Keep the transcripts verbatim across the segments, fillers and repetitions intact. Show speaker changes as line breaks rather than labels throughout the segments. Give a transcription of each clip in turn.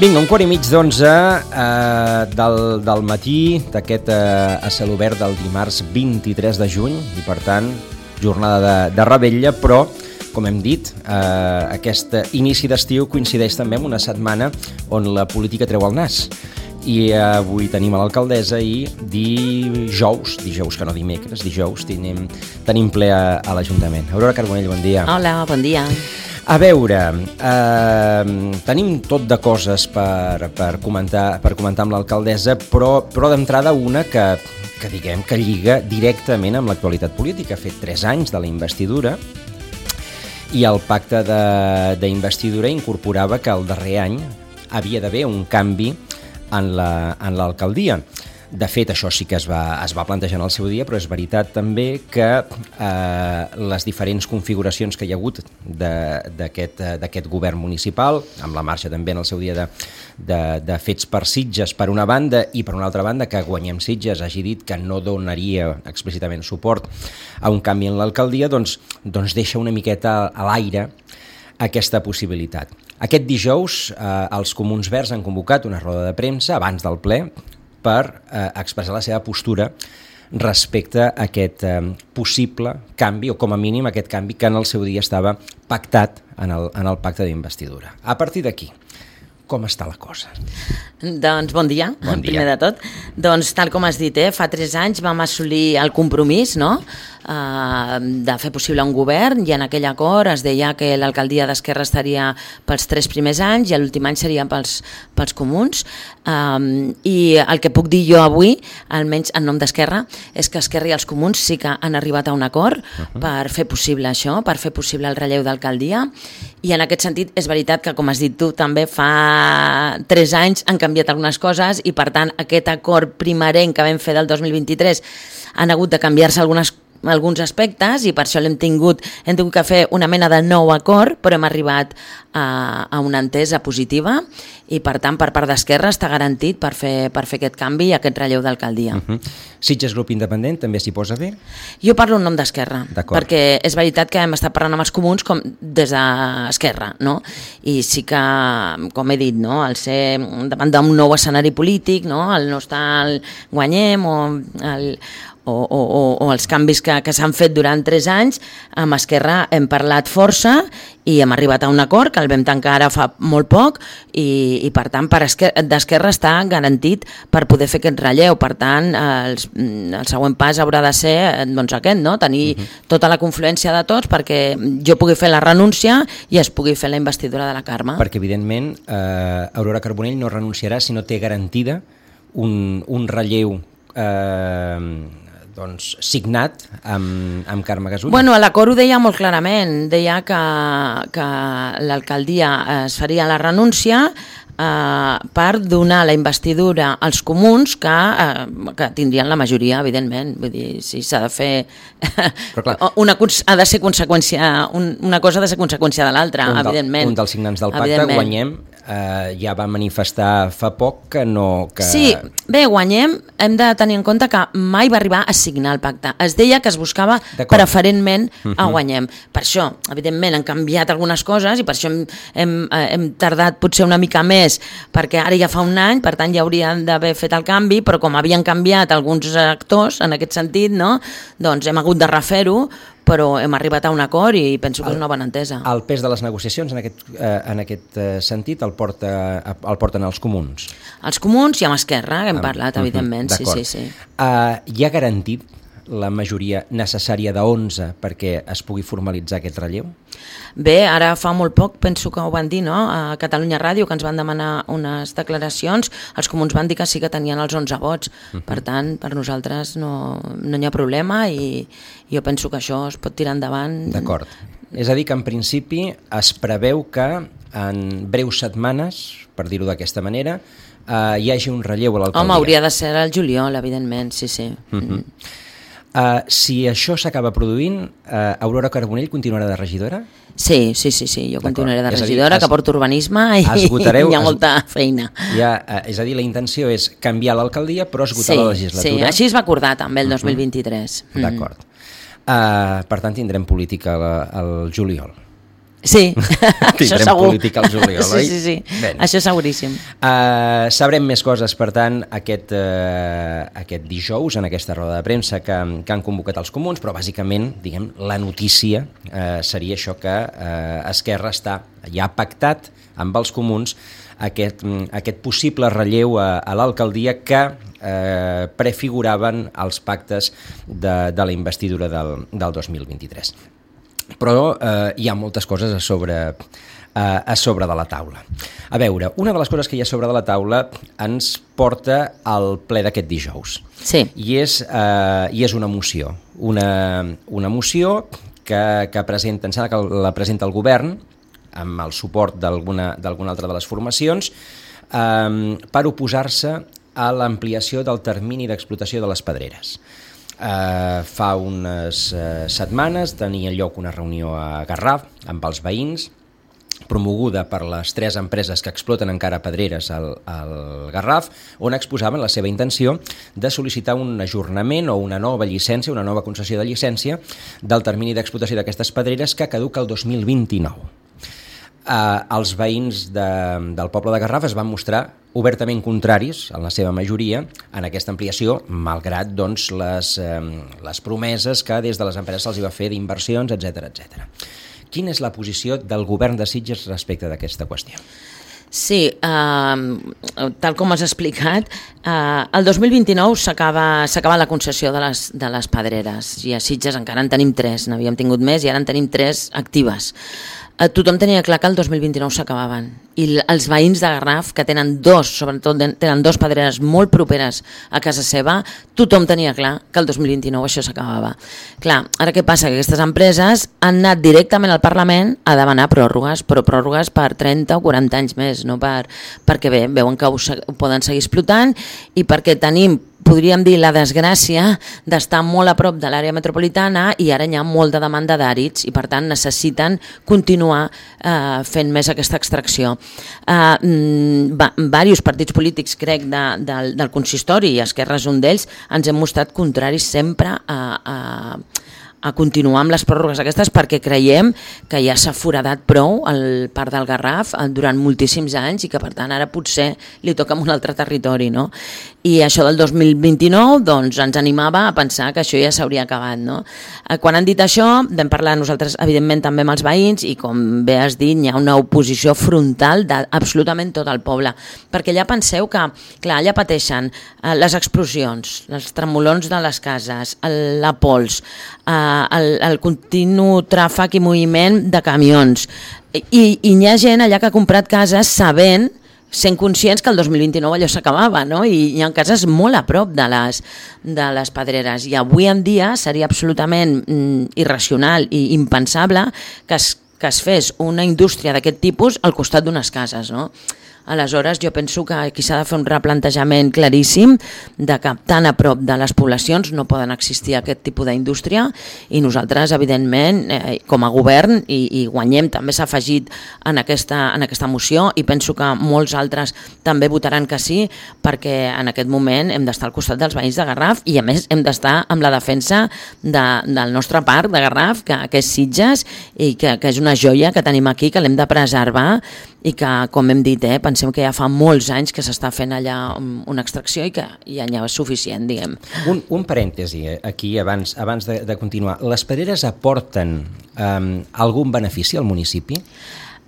Vinga, un quart i mig d'onze eh, del, del matí d'aquest eh, a cel obert del dimarts vint-i-tres de juny i, per tant, jornada de, de revetlla, però, com hem dit, eh, aquest inici d'estiu coincideix també amb una setmana on la política treu el nas. I eh, avui tenim a l'alcaldessa i dijous, dijous que no dimecres, dijous, tenim, tenim ple a, a l'Ajuntament. Aurora Carbonell, bon dia.
Hola, bon dia.
A veure, eh, tenim tot de coses per, per, comentar, per comentar amb l'alcaldessa, però, però d'entrada una que, que diguem que lliga directament amb l'actualitat política. Ha fet tres anys de la investidura i el pacte d'investidura incorporava que el darrer any havia d'haver un canvi en la, en l'alcaldia. De fet, això sí que es va, es va plantejar en el seu dia, però és veritat també que eh, les diferents configuracions que hi ha hagut d'aquest d'aquest govern municipal, amb la marxa també en el seu dia de, de, de fets per Sitges per una banda i per una altra banda que Guanyem Sitges hagi dit que no donaria explícitament suport a un canvi en l'alcaldia, doncs, doncs deixa una miqueta a l'aire aquesta possibilitat. Aquest dijous eh, els Comuns Verds han convocat una roda de premsa abans del ple per eh, expressar la seva postura respecte a aquest eh, possible canvi, o com a mínim aquest canvi que en el seu dia estava pactat en el, en el pacte d'investidura. A partir d'aquí, com està la cosa?
Doncs bon dia,
bon dia,
primer de tot. Doncs tal com has dit, eh, fa tres anys vam assolir el compromís, no?, eh, de fer possible un govern, i en aquell acord es deia que l'alcaldia d'Esquerra estaria pels tres primers anys i l'últim any seria pels, pels comuns. Um, I el que puc dir jo avui, almenys en nom d'Esquerra, és que Esquerra i els comuns sí que han arribat a un acord uh-huh. per fer possible això, per fer possible el relleu d'alcaldia, i en aquest sentit és veritat que, com has dit tu, també fa tres anys han canviat algunes coses i, per tant, aquest acord primerenc que vam fer del dos mil vint-i-tres han hagut de canviar-se algunes alguns aspectes i per això l'hem tingut, hem tingut que fer una mena de nou acord, però hem arribat a, a una entesa positiva i, per tant, per part d'Esquerra està garantit per fer, per fer aquest canvi i aquest relleu d'alcaldia.
Uh-huh. Sitges Grup Independent també s'hi posa bé?
Jo parlo en nom d'Esquerra, perquè és veritat que hem estat parlant amb els comuns com des d'Esquerra, no? I sí que, com he dit, no? Al ser davant d'un nou escenari polític, no? El no estar al Guanyem o el O, o, o, o els canvis que, que s'han fet durant tres anys, amb Esquerra hem parlat força i hem arribat a un acord que el vam tancar ara fa molt poc i, i per tant per d'Esquerra està garantit per poder fer aquest relleu. Per tant, els, el següent pas haurà de ser doncs, aquest, no? Tenir uh-huh. tota la confluència de tots perquè jo pugui fer la renúncia i es pugui fer la investidura de la Carme.
Perquè, evidentment, eh, Aurora Carbonell no renunciarà si no té garantida un, un relleu eh, doncs, signat amb, amb Carme Gasull.
Bueno, l'acord ho deia molt clarament, deia que, que l'alcaldia es faria la renúncia eh, per donar la investidura als comuns que, eh, que tindrien la majoria, evidentment. Vull dir, si s'ha de fer... Però, clar, una, ha de ser conseqüència, un, una cosa ha de ser conseqüència de l'altra, evidentment.
Un dels signants del pacte, Guanyem, Uh, ja va manifestar fa poc que no... Que...
Sí, bé, Guanyem, hem de tenir en compte que mai va arribar a signar el pacte. Es deia que es buscava preferentment a Guanyem. Per això, evidentment, han canviat algunes coses i per això hem, hem, hem tardat potser una mica més, perquè ara ja fa un any, per tant ja haurien d'haver fet el canvi, però com havien canviat alguns actors en aquest sentit, no? Doncs hem hagut de refer-ho, però hem arribat a un acord i penso que és una bona entesa.
El pes de les negociacions en aquest, eh, en aquest sentit el, porta, el porten els comuns?
Els comuns i amb Esquerra, que hem parlat, uh-huh. evidentment. Sí, sí, sí.
Uh, hi ha garantit la majoria necessària de onze perquè es pugui formalitzar aquest relleu?
Bé, ara fa molt poc, penso que ho van dir, no?, a Catalunya Ràdio, que ens van demanar unes declaracions, els comuns van dir que sí que tenien els onze vots, uh-huh. per tant, per nosaltres no, no hi ha problema i jo penso que això es pot tirar endavant.
D'acord. És a dir, que en principi es preveu que en breus setmanes, per dir-ho d'aquesta manera, eh, hi hagi un relleu a l'alcaldia.
Home, hauria de ser el juliol, evidentment, sí, sí.
Uh-huh. Uh, si això s'acaba produint, uh, Aurora Carbonell continuarà de regidora?
Sí, sí, sí, sí. jo continuaré de regidora, dir, es, que porto urbanisme i esgotareu, hi ha molta es, feina.
Ja, uh, és a dir, la intenció és canviar l'alcaldia però esgotar
sí,
la legislatura?
Sí, així es va acordar també el dos mil vint-i-tres.
Uh-huh. Mm. D'acord. Uh, per tant, tindrem política al juliol.
Sí, això
Tindrem
segur.
política al juliol,
sí,
oi?
sí, sí,
Ben.
això seguríssim.
Uh, sabrem més coses, per tant, aquest, uh, aquest dijous, en aquesta roda de premsa que, que han convocat els comuns, però bàsicament, diguem, la notícia uh, seria això que uh, Esquerra està ja pactat amb els comuns aquest, aquest possible relleu a, a l'alcaldia que eh, prefiguraven els pactes de, de la investidura del, del dos mil vint-i-tres. Però eh, hi ha moltes coses a sobre, eh, a sobre de la taula. A veure, una de les coses que hi ha sobre de la taula ens porta al ple d'aquest dijous.
Sí.
I és, eh, i és una moció. Una, una moció que, que presenta, em sembla que la presenta el govern, amb el suport d'alguna d'alguna altra de les formacions, eh, per oposar-se a l'ampliació del termini d'explotació de les pedreres. Uh, fa unes uh, setmanes tenia lloc una reunió a Garraf amb els veïns, promoguda per les tres empreses que exploten encara pedreres al, al Garraf, on exposaven la seva intenció de sol·licitar un ajornament o una nova llicència, una nova concessió de llicència del termini d'explotació d'aquestes pedreres que caduca el dos mil vint-i-nou. Uh, els veïns de, del poble de Garraf es van mostrar obertament contraris, en la seva majoria, en aquesta ampliació, malgrat doncs, les, eh, les promeses que des de les empreses se'ls va fer d'inversions, etcètera, etcètera. Quina és la posició del govern de Sitges respecte d'aquesta qüestió?
Sí, eh, tal com has explicat, eh, el dos mil vint-i-nou s'acaba s'acaba la concessió de les, de les pedreres i a Sitges encara en tenim tres, n'havíem tingut més i ara en tenim tres actives. Eh, tothom tenia clar que el dos mil vint-i-nou s'acabaven i els veïns de Garraf, que tenen dos, sobretot tenen dos pedreres molt properes a casa seva, tothom tenia clar que el dos mil vint-i-nou això s'acabava. Clar, ara què passa? Que aquestes empreses han anat directament al Parlament a demanar pròrrogues, però pròrrogues per trenta o quaranta anys més, no per, perquè bé, veuen que ho, ho poden seguir explotant i perquè tenim, podríem dir, la desgràcia d'estar molt a prop de l'àrea metropolitana i ara hi ha molta demanda d'àrids i per tant necessiten continuar eh, fent més aquesta extracció. Uh, va, diversos partits polítics, crec, de, del, del consistori, i Esquerra és un d'ells, ens hem mostrat contraris sempre a, a, a continuar amb les pròrrogues aquestes perquè creiem que ja s'ha foradat prou el Parc del Garraf durant moltíssims anys i que per tant ara potser li toca en un altre territori, no? I això del dos mil vint-i-nou doncs, ens animava a pensar que això ja s'hauria acabat, no? Quan han dit això vam parlar nosaltres evidentment també amb els veïns i com bé has dit hi ha una oposició frontal d'absolutament tot el poble, perquè ja penseu que clar, allà pateixen eh, les explosions, els tremolons de les cases, el, la pols, eh, el, el continu tràfic i moviment de camions i, i hi ha gent allà que ha comprat cases sabent, sent conscients que el dos mil vint-i-nou allò s'acabava, no? I hi ha cases molt a prop de les, de les pedreres i avui en dia seria absolutament mm, irracional i impensable que es, que es fes una indústria d'aquest tipus al costat d'unes cases, no? Aleshores, jo penso que aquí s'ha de fer un replantejament claríssim de que tan a prop de les poblacions no poden existir aquest tipus d'indústria i nosaltres, evidentment, eh, com a govern, i, i Guanyem també s'ha afegit en aquesta, en aquesta moció i penso que molts altres també votaran que sí, perquè en aquest moment hem d'estar al costat dels veïns de Garraf i a més hem d'estar amb la defensa de, del nostre parc de Garraf, que, que és Sitges i que, que és una joia que tenim aquí, que l'hem de preservar i que, com hem dit, eh, pensem que ja fa molts anys que s'està fent allà una extracció i que ja n'hi ha suficient, diguem.
Un, un parèntesi aquí, abans, abans de, de continuar. Les pedreres aporten um, algun benefici al municipi?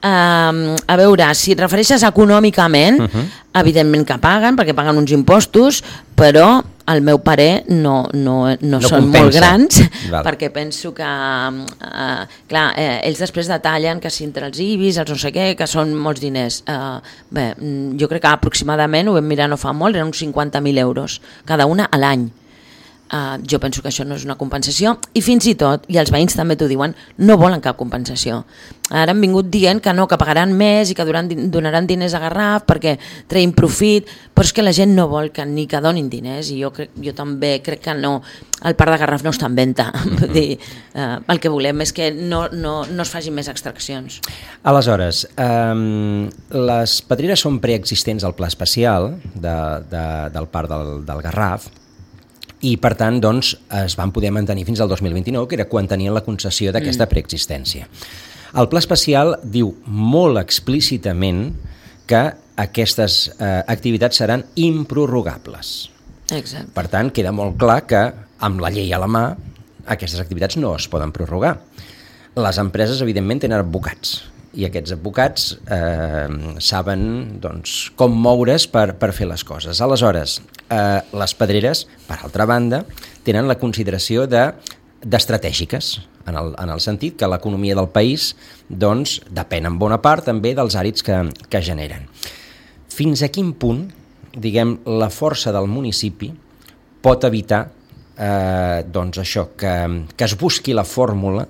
Uh, a veure, si et refereixes econòmicament, uh -huh. evidentment que paguen, perquè paguen uns impostos, però al meu parer no, no, no, no són compensa. Molt grans, val. Perquè penso que, uh, clar, eh, ells després detallen que si entre els I B I S, els no sé què, que són molts diners. Uh, bé, jo crec que aproximadament, ho vam mirar no fa molt, eren uns cinquanta mil euros, cada una a l'any. Uh, jo penso que això no és una compensació i fins i tot, i els veïns també t'ho diuen, no volen cap compensació. Ara han vingut dient que no, que pagaran més i que donaran, donaran diners a Garraf perquè treguin profit, però és que la gent no vol que ni que donin diners i jo, crec, jo també crec que no, el Parc de Garraf no està en venda. Vull dir, uh, el que volem és que no, no, no es facin més extraccions.
Aleshores, um, les pedreres són preexistents al pla especial de, de, del Parc del, del Garraf, i per tant doncs, es van poder mantenir fins al dos mil vint-i-nou, que era quan tenien la concessió d'aquesta preexistència. El pla especial diu molt explícitament que aquestes eh, activitats seran improrrogables.
Exacte.
Per tant, queda molt clar que amb la llei a la mà aquestes activitats no es poden prorrogar. Les empreses, evidentment, tenen advocats i aquests advocats eh, saben doncs, com moure's per, per fer les coses. Aleshores, eh, les pedreres, per altra banda, tenen la consideració de d'estratègiques, en el, en el sentit que l'economia del país doncs, depèn en bona part també dels àrids que, que generen. Fins a quin punt, diguem, la força del municipi pot evitar eh, doncs això, que, que es busqui la fórmula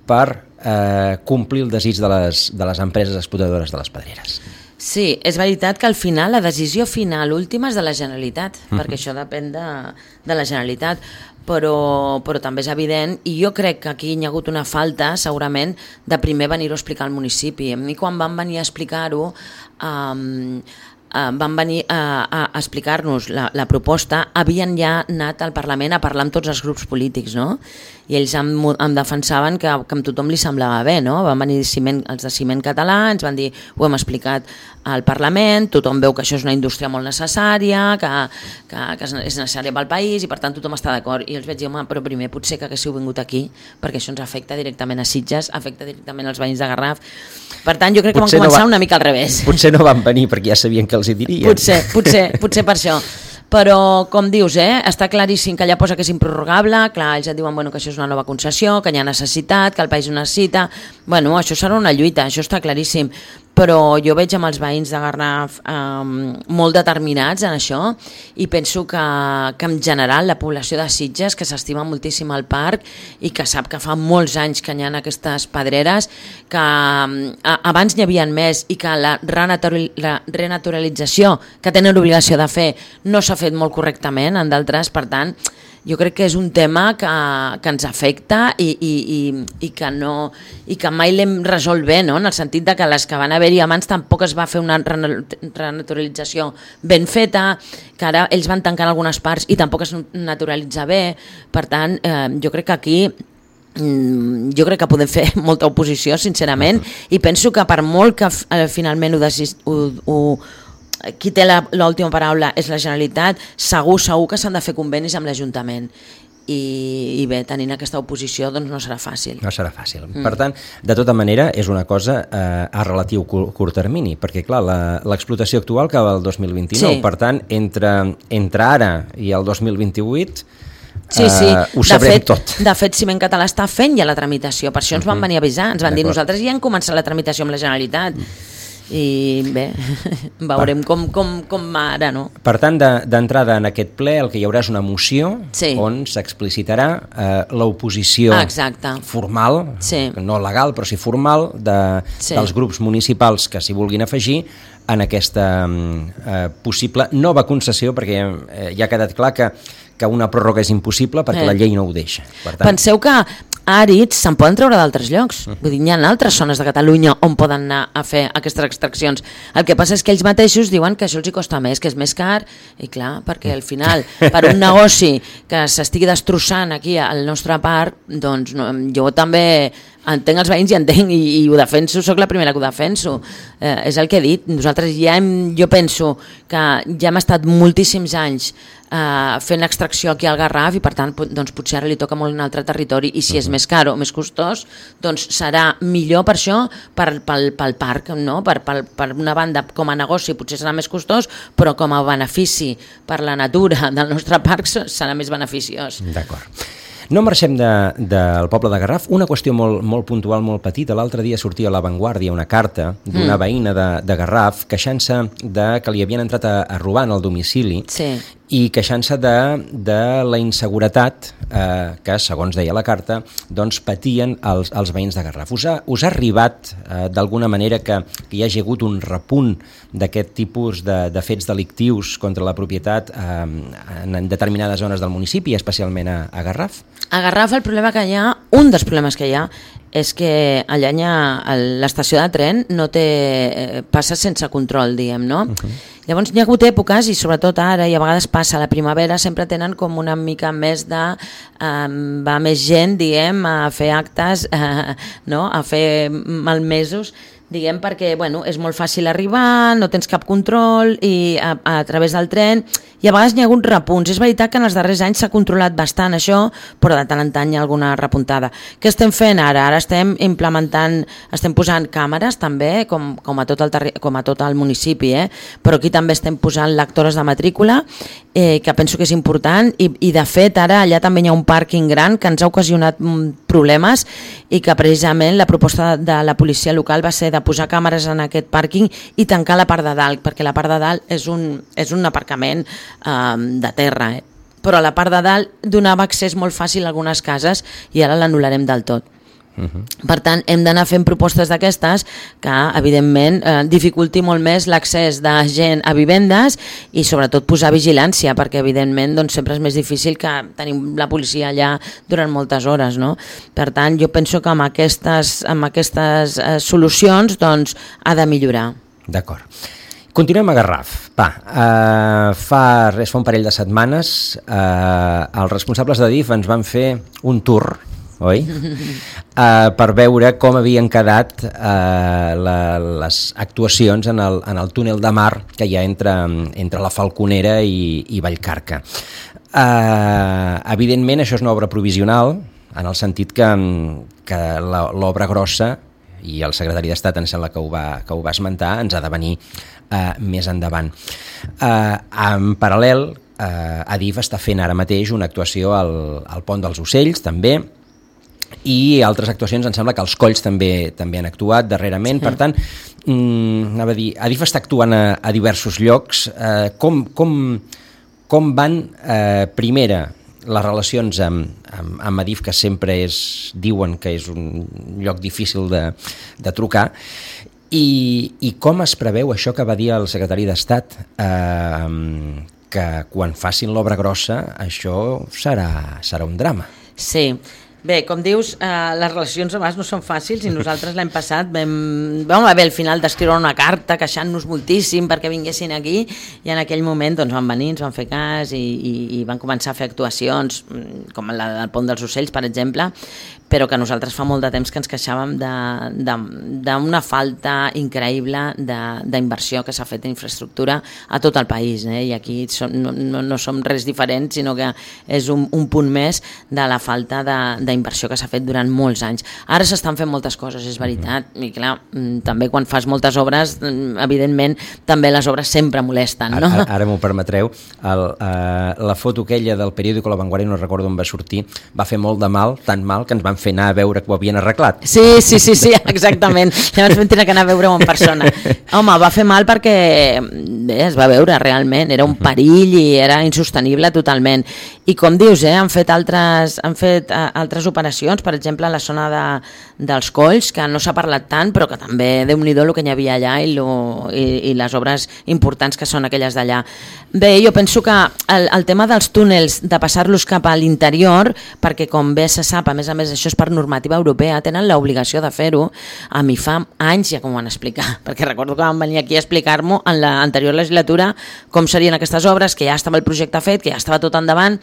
per eh, complir el desig de les, de les empreses explotadores de les pedreres.
Sí, és veritat que al final la decisió final última és de la Generalitat, uh-huh. perquè això depèn de, de la Generalitat, però, però també és evident, i jo crec que aquí hi ha hagut una falta, segurament, de primer venir-ho a explicar al municipi. A mi quan van venir a explicar-ho, um, uh, van venir a, a explicar-nos la, la proposta, havien ja anat al Parlament a parlar amb tots els grups polítics, no? I ells em, em defensaven que, que a tothom li semblava bé, no? Van venir ciment, els de Ciment Català, ens van dir, ho hem explicat al Parlament, tothom veu que això és una indústria molt necessària, que, que, que és necessària pel país i per tant tothom està d'acord. I els vaig dir, home, però primer potser que haguéssiu vingut aquí, perquè això ens afecta directament a Sitges, afecta directament als veïns de Garraf. Per tant, jo crec que potser van començar no va, una mica al revés.
Potser no van venir perquè ja sabien que els hi dirien.
Potser, potser, potser per això. Però, com dius, eh, està claríssim que allà posa que és improrrogable, clar, ells et diuen bueno, que això és una nova concessió, que hi ha necessitat, que el país ho necessita, bueno, això serà una lluita, això està claríssim, però jo veig amb els veïns de Garraf eh, molt determinats en això i penso que, que en general la població de Sitges, que s'estima moltíssim al parc i que sap que fa molts anys que hi ha aquestes pedreres, que eh, abans n'hi havia més i que la, renaturali la renaturalització que tenen l'obligació de fer no s'ha fet molt correctament en d'altres, per tant, jo crec que és un tema que, que ens afecta i, i, i, i, que no, i que mai l'hem resolt bé, no? En el sentit de que les que van haver-hi abans tampoc es va fer una renaturalització ben feta, que ara ells van tancant algunes parts i tampoc es naturalitza bé, per tant, eh, jo crec que aquí jo crec que podem fer molta oposició, sincerament, i penso que per molt que eh, finalment ho, decis, ho, ho qui té l'última paraula és la Generalitat, segur, segur que s'han de fer convenis amb l'Ajuntament i, i bé, tenint aquesta oposició doncs no serà fàcil.
No serà fàcil. Mm. Per tant, de tota manera, és una cosa eh, a relatiu curt, curt termini, perquè clar, l'explotació actual acaba el dos mil vint-i-nou, sí. Per tant, entre, entre ara i el dos mil vint-i-vuit
Sí, sí.
Uh, ho sabrem
de fet,
tot.
De fet, Ciment Català està fent ja la tramitació, per això ens van venir a avisar, ens van dir nosaltres ja hem començat la tramitació amb la Generalitat. I bé, veurem com, com, com ara, no?
Per tant, d'entrada en aquest ple el que hi haurà és una moció sí. on s'explicitarà eh, l'oposició formal, sí. no legal, però sí formal, de, sí. dels grups municipals que s'hi vulguin afegir en aquesta eh, possible nova concessió, perquè eh, ja ha quedat clar que, que una pròrroga és impossible perquè eh. la llei no ho deixa. Per tant,
penseu que àrids se'n poden treure d'altres llocs. Uh-huh. Vull dir, hi ha altres zones de Catalunya on poden anar a fer aquestes extraccions. El que passa és que ells mateixos diuen que això els hi costa més, que és més car, i clar, perquè al final, per un negoci que s'estigui destrossant aquí al nostre parc, doncs no, jo també entenc els veïns i entenc i, i ho defenso, sóc la primera que ho defenso. Eh, és el que he dit. Nosaltres ja hem, jo penso que ja hem estat moltíssims anys eh, fent extracció aquí al Garraf i per tant doncs, potser ara li toca molt un altre territori i si uh-huh. és més car o més costós doncs serà millor per això per, pel, pel parc, no? per, per, per una banda com a negoci potser serà més costós però com a benefici per la natura del nostre parc serà més beneficiós.
D'acord. No marxem de, del poble de Garraf. Una qüestió molt, molt puntual, molt petita. L'altre dia sortia a La Vanguardia una carta d'una mm. veïna de, de Garraf queixant-se de que li havien entrat a, a robar en el domicili sí. i queixant-se de, de la inseguretat eh, que, segons deia la carta, doncs patien els, els veïns de Garraf. Us ha, us ha arribat eh, d'alguna manera que, que hi hagi hagut un repunt d'aquest tipus de, de fets delictius contra la propietat eh, en determinades zones del municipi, especialment a, a Garraf?
A Garraf el problema que hi ha, un dels problemes que hi ha, és que allà l'estació de tren no té, passa sense control, diguem, no? Uh-huh. Llavors hi ha hagut èpoques, i sobretot ara, i a vegades passa a la primavera, sempre tenen com una mica més de... Eh, va més gent, diguem, a fer actes, eh, no? A fer malmesos, diguem, perquè bueno, és molt fàcil arribar, no tens cap control i a, a través del tren, i a vegades hi ha hagut repunts. És veritat que en els darrers anys s'ha controlat bastant això, però de tant en tant hi ha alguna repuntada. Què estem fent ara? Ara estem implementant, estem posant càmeres també, com, com, a, tot el terri- com a tot el municipi, eh? Però aquí també estem posant lectores de matrícula, eh, que penso que és important, i, i de fet ara allà també hi ha un pàrquing gran que ens ha ocasionat problemes, i que precisament la proposta de la policia local va ser de posar càmeres en aquest pàrquing i tancar la part de dalt, perquè la part de dalt és un, és un aparcament eh, de terra, eh? Però la part de dalt donava accés molt fàcil a algunes cases i ara l'anul·larem del tot. Uh-huh. Per tant, hem d'anar fent propostes d'aquestes que, evidentment, eh, dificulti molt més l'accés de gent a vivendes i, sobretot, posar vigilància, perquè, evidentment, doncs, sempre és més difícil que tenim la policia allà durant moltes hores, no? Per tant, jo penso que amb aquestes, amb aquestes eh, solucions doncs, ha de millorar.
D'acord. Continuem a Garraf. Va, eh, fa, res, fa un parell de setmanes eh, els responsables de D I F ens van fer un tour, oi? Uh, per veure com havien quedat uh, la, les actuacions en el, en el túnel de mar que hi ha entre, entre la Falconera i, i Vallcarca. Uh, evidentment, això és una obra provisional, en el sentit que, que l'obra grossa, i el secretari d'Estat em sembla que ho va, que ho va esmentar, ens ha de venir uh, més endavant. Uh, en paral·lel, uh, A D I F està fent ara mateix una actuació al, al Pont dels Ocells, també, i altres actuacions, em sembla que els Colls també també han actuat darrerament, sí. Per tant, mmm, anava a dir, A D I F està actuant a, a diversos llocs. Eh, com, com, com van, eh, primera, les relacions amb, amb, amb A D I F, que sempre és, diuen que és un lloc difícil de, de trucar, i, i com es preveu això que va dir el secretari d'Estat, eh, que quan facin l'obra grossa això serà, serà un drama.
Sí. Bé, com dius, eh, les relacions a vegades no són fàcils, i nosaltres l'any passat vam, vam haver al final d'escriure una carta queixant-nos moltíssim perquè vinguessin aquí, i en aquell moment doncs, van venir, ens van fer cas i, i, i van començar a fer actuacions com la del Pont dels Ocells, per exemple, però que nosaltres fa molt de temps que ens queixàvem d'una falta increïble d'inversió que s'ha fet en infraestructura a tot el país, eh? I aquí som, no, no, no som res diferent, sinó que és un, un punt més de la falta d'inversió que s'ha fet durant molts anys. Ara s'estan fent moltes coses, és veritat, i clar, també quan fas moltes obres, evidentment, també les obres sempre molesten, no?
Ara, ara m'ho permetreu, el, uh, la foto aquella del periòdico La Vanguardia, no recordo on va sortir, va fer molt de mal, tant mal, que ens van fer anar a veure que ho havien arreglat.
Sí, sí, sí, sí, exactament. Llavors vam tenir que anar a veure-ho en persona. Home, va fer mal perquè bé, es va veure realment, era un perill i era insostenible totalment. I com dius, eh, han fet altres, han fet uh, altres operacions, per exemple, a la zona de, dels Colls, que no s'ha parlat tant, però que també, Déu-n'hi-do, el que hi havia allà i, lo, i, i les obres importants que són aquelles d'allà. Bé, jo penso que el, el tema dels túnels, de passar-los cap a l'interior, perquè com bé se sap, a més a més això és per normativa europea, tenen l'obligació de fer-ho. A mi fa anys ja que m'ho van explicar, perquè recordo que van venir aquí a explicar-m'ho en l'anterior legislatura com serien aquestes obres, que ja estava el projecte fet, que ja estava tot endavant.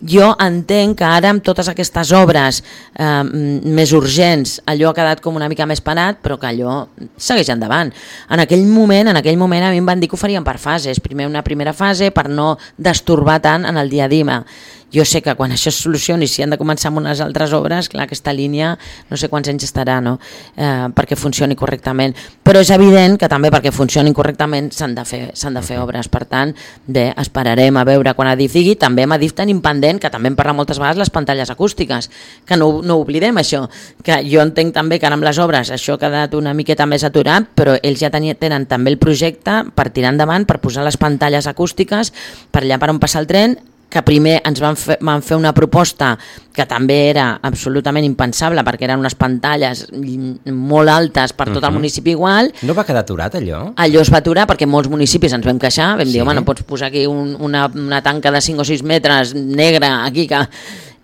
Jo entenc que ara amb totes aquestes obres eh, més urgents allò ha quedat com una mica més parat, però que allò segueix endavant. En aquell moment, en aquell moment a mi em van dir que ho farien per fases, primer una primera fase per no destorbar tant en el dia a dia. Jo sé que quan això es solucioni, si han de començar amb unes altres obres, clar, aquesta línia no sé quants anys estarà, no? eh, perquè funcioni correctament, però és evident que també perquè funcionin correctament s'han de fer, s'han de fer obres. Per tant, bé, esperarem a veure quan A D I F digui. També amb A D I F tenim pendent, que també en parla moltes vegades, les pantalles acústiques, que no, no oblidem això, que jo entenc també que ara amb les obres això ha quedat una miqueta més aturat, però ells ja tenen, tenen també el projecte per tirar endavant, per posar les pantalles acústiques per allà per on passa el tren, que primer ens van fer, van fer una proposta que també era absolutament impensable, perquè eren unes pantalles molt altes per tot el municipi igual.
No va quedar aturat allò?
Allò es va aturar perquè molts municipis ens vam queixar, vam sí. dir, home, no pots posar aquí un, una, una tanca de cinc o sis metres negra aquí que...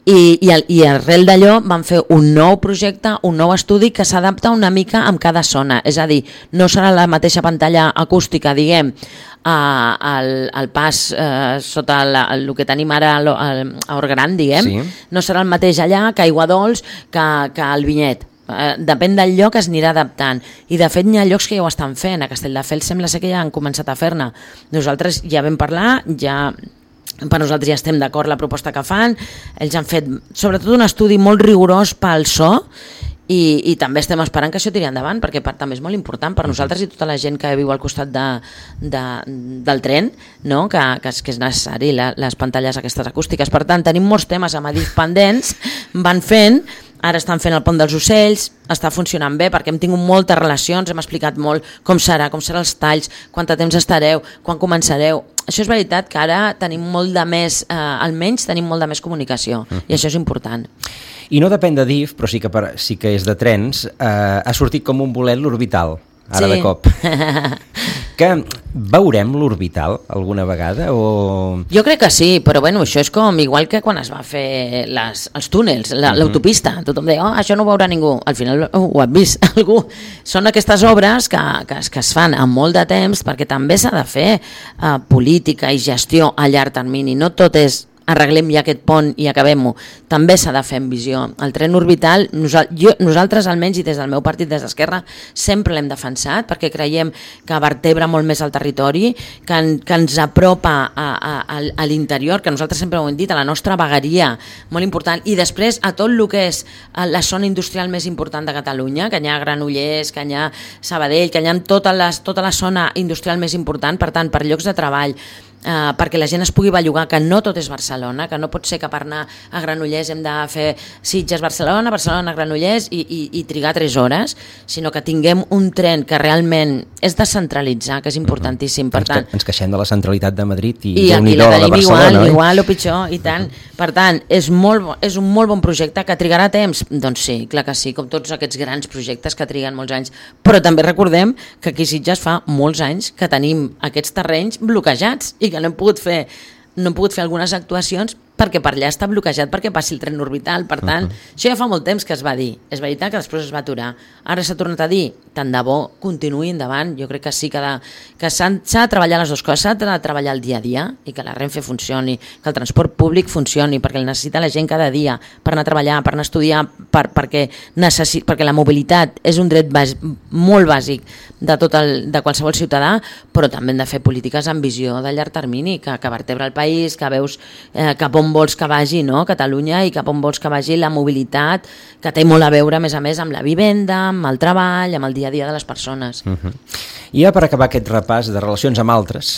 I, i, i arrel d'allò van fer un nou projecte, un nou estudi que s'adapta una mica amb cada zona, és a dir, no serà la mateixa pantalla acústica, diguem, al, al pas eh, sota la, el que tenim ara a Orgran, diguem, sí. No serà el mateix allà que Aiguadols, que, que el Vinyet. Eh, depèn del lloc es anirà adaptant, i de fet hi ha llocs que ja ho estan fent. A Castelldefels sembla ser que ja han començat a fer-ne. Nosaltres ja vam parlar, ja... per nosaltres ja estem d'acord la proposta que fan. Ells han fet sobretot un estudi molt rigorós pel so i, i també estem esperant que això tiri endavant, perquè per, també és molt important per nosaltres i tota la gent que viu al costat de, de, del tren, no? que, que, és, que és necessari la, les pantalles aquestes acústiques. Per tant, tenim molts temes a Madrid pendents, van fent. Ara estan fent el Pont dels Ocells, està funcionant bé perquè hem tingut moltes relacions, hem explicat molt com serà, com seran els talls, quant de temps estareu, quan començareu. Això és veritat que ara tenim molt de més, eh, almenys tenim molt de més comunicació, uh-huh. I això és important.
I no depèn de D I F, però sí que, per, sí que és de trens, eh, ha sortit com un bolet l'Orbital, ara sí. De cop. Que veurem l'Orbital alguna vegada? O... Jo
crec que sí, però bueno, això és com igual que quan es va fer les, els túnels, la, uh-huh. L'autopista. Tothom deia, oh, això no ho veurà ningú. Al final oh, ho ha vist algú. Són aquestes obres que, que, que es fan amb molt de temps perquè també s'ha de fer uh, política i gestió a llarg termini. No tot és arreglem ja aquest pont i acabem-ho. També s'ha de fer en visió. El tren orbital, nosal, jo, nosaltres almenys i des del meu partit, des d'Esquerra, sempre l'hem defensat perquè creiem que vertebra molt més el territori, que, en, que ens apropa a, a, a, a l'interior, que nosaltres sempre ho hem dit, a la nostra vegueria, molt important, i després a tot el que és la zona industrial més important de Catalunya, que hi ha Granollers, que hi ha Sabadell, que hi ha tota, les, tota la zona industrial més important, per tant, per llocs de treball, Uh, perquè la gent es pugui bellugar, que no tot és Barcelona, que no pot ser que per anar a Granollers hem de fer Sitges-Barcelona, Barcelona-Granollers i, i, i trigar tres hores, sinó que tinguem un tren que realment és descentralitzar, que és importantíssim. Per
ens,
tant,
que, ens queixem de la centralitat de Madrid i,
i, i la tenim igual,
no?
igual o pitjor, i tant. Per tant, és, molt, és un molt bon projecte que trigarà temps? Doncs sí, clar que sí, com tots aquests grans projectes que triguen molts anys, però també recordem que aquí a Sitges fa molts anys que tenim aquests terrenys bloquejats i que no hem pogut fer, no hem pogut fer algunes actuacions perquè per allà està bloquejat perquè passi el tren orbital. Per tant, uh-huh. Això ja fa molt temps que es va dir. És veritat que després es va aturar. Ara s'ha tornat a dir, tant de bo, continuï endavant. Jo crec que sí que, de, que s'ha de treballar les dues coses, s'ha de treballar el dia a dia i que la Renfe funcioni, que el transport públic funcioni, perquè el necessita la gent cada dia per anar a treballar, per anar a estudiar, per, perquè, necessi, perquè la mobilitat és un dret bas, molt bàsic de, tot el, de qualsevol ciutadà, però també hem de fer polítiques amb visió de llarg termini, que, que vertebra el país, que veus eh, cap on vols que vagi, no? Catalunya, i cap on vols que vagi la mobilitat, que té molt a veure, a més a més, amb la vivenda, amb el treball, amb el dia a dia de les persones.
Uh-huh. I ja per acabar aquest repàs de relacions amb altres,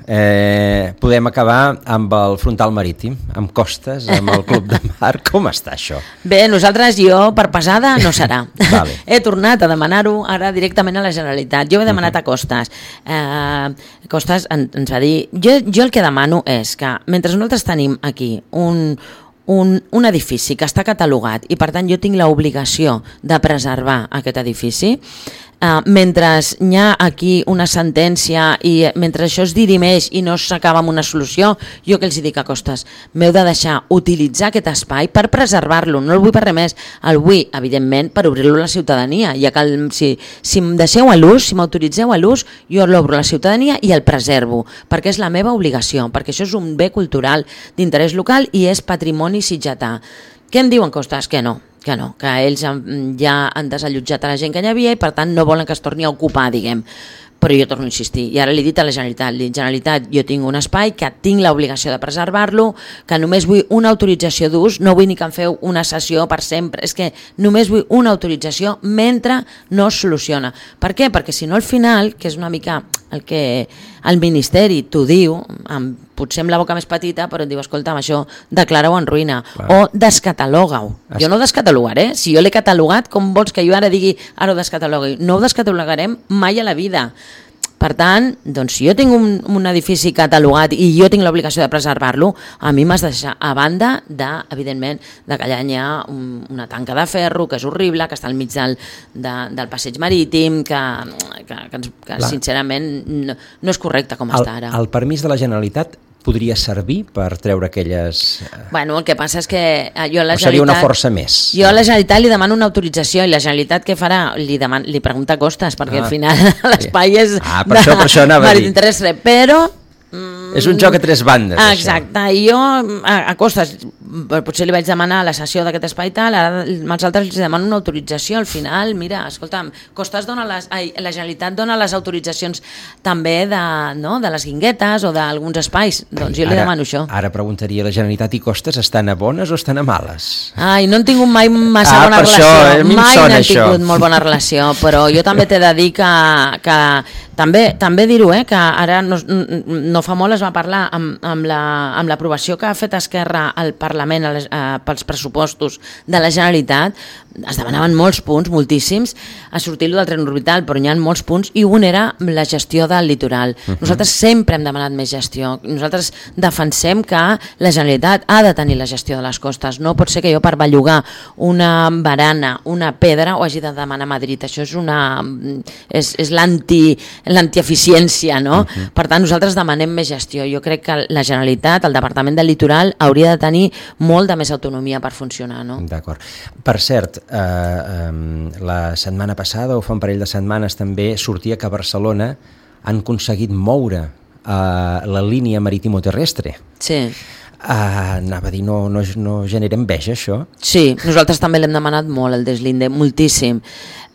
eh, podem acabar amb el frontal marítim, amb costes, amb el Club de Mar. Com està això?
Bé, nosaltres, jo, per pesada, no serà.
Vale.
He tornat a demanar-ho ara directament a la Generalitat. Jo he demanat uh-huh. a Costes. Eh, Costes en, ens va dir... Jo, jo el que demano és que, mentre nosaltres tenim aquí un, un, un edifici que està catalogat i per tant jo tinc l'obligació de preservar aquest edifici, Uh, mentre hi ha aquí una sentència i mentre això es dirimeix i no s'acaba amb una solució, jo que els dic a Costes, m'heu de deixar utilitzar aquest espai per preservar-lo, no el vull per res més, el vull, evidentment, per obrir-lo a la ciutadania, ja que el, si, si em deixeu a l'ús, si m'autoritzeu a l'ús, jo l'obro a la ciutadania i el preservo, perquè és la meva obligació, perquè això és un bé cultural d'interès local i és patrimoni sitgetà. Què em diuen Costes? Que no, que no, que ells ja han desallotjat a la gent que hi havia i per tant no volen que es torni a ocupar, diguem. Però jo torno a insistir, i ara li he dit a la Generalitat, li he dit, Generalitat, jo tinc un espai que tinc l'obligació de preservar-lo, que només vull una autorització d'ús, no vull ni que em feu una sessió per sempre, és que només vull una autorització mentre no es soluciona. Per què? Perquè si no al final, que és una mica el que el Ministeri t'ho diu, amb, potser amb la boca més petita, però et diu, escolta'm, això declara-ho en ruïna, clar, o descataloga-ho. Es... Jo no ho descatalogaré, si jo l'he catalogat, com vols que jo ara digui, ara ho descatalogui? No ho descatalogarem mai a la vida. Per tant, doncs, si jo tinc un, un edifici catalogat i jo tinc l'obligació de preservar-lo, a mi m'has de deixar a banda de, evidentment, de que allà hi ha un, una tanca de ferro que és horrible, que està al mig del, de, del passeig marítim, que, que, que, que sincerament no, no és correcte com
el,
està ara.
El permís de la Generalitat podria servir per treure aquelles...
Bueno, el que passa és que jo a la Generalitat...
O seria una força més?
Jo a la Generalitat li demano una autorització i la Generalitat què farà? Li, deman... li pregunta costes, perquè ah, al final l'espai és
ah, per això, per això anava a dir.
Terrestre, però...
És un joc a tres bandes,
exacte, això. I jo a, a costes potser li vaig demanar la cessió d'aquest espai tal, ara als altres els demano una autorització. Al final, mira, escolta'm, Costes dona les, ai, la Generalitat dona les autoritzacions també de, no, de les guinguetes o d'alguns espais, doncs jo li
ara,
demano això.
Ara preguntaria, la Generalitat i Costes estan a bones o estan a males?
Ai, no han tingut mai massa
ah,
bona relació,
això,
mai no han
això.
tingut molt bona relació, però jo també t'he de dir que, que també, també dir-ho, eh, que ara no, no fa molt es va parlar amb, amb l'aprovació que ha fet Esquerra al Parlament a les, a, pels pressupostos de la Generalitat. Es demanaven molts punts, moltíssims, a sortir-lo del tren orbital, però hi ha molts punts, i un era la gestió del litoral. Uh-huh. Nosaltres sempre hem demanat més gestió. Nosaltres defensem que la Generalitat ha de tenir la gestió de les costes. No pot ser que jo per bellugar una barana, una pedra, ho hagi de demanar a Madrid. Això és una... és, és l'anti, l'antieficiència, no? Uh-huh. Per tant, nosaltres demanem més gestió. Jo crec que la Generalitat, el Departament del Litoral, hauria de tenir molt de més autonomia per funcionar, no?
D'acord. Per cert, eh, eh, la setmana passada, o fa un parell de setmanes també, sortia que a Barcelona han aconseguit moure eh, la línia marítimo-terrestre.
Sí.
Uh, anava a dir, no, no, no genera enveja, això?
Sí, nosaltres també l'hem demanat molt, el deslinde, moltíssim.